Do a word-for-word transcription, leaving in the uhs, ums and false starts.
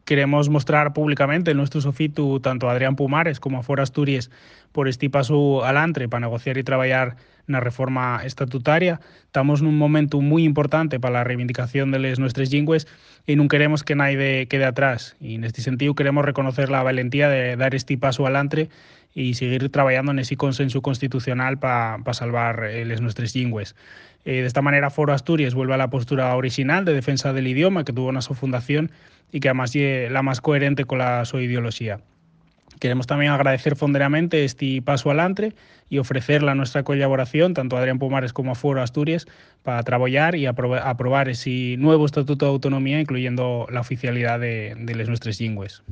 queremos mostrar públicamente el nuestro sofitu tanto a Adrián Pumares como a Foro Asturias por este paso adelante para negociar y trabajar na reforma estatutaria. Estamos nun momento moi importante para a reivindicación de les nuestras lingües e non queremos que naide quede atrás. E neste sentido queremos reconocer la valentía de dar este paso adelante y seguir trabajando en ese consenso constitucional para pa salvar eh, les nuestras lingües. Eh, de esta manera, Foro Asturias vuelve a la postura original de defensa del idioma que tuvo en su fundación y que además es la más coherente con la su ideología. Queremos también agradecer fonderamente este paso adelante y ofrecerle a nuestra colaboración, tanto a Adrián Pumares como a Foro Asturias, para trabajar y aprobar, aprobar ese nuevo Estatuto de Autonomía, incluyendo la oficialidad de, de las nuestras lingües.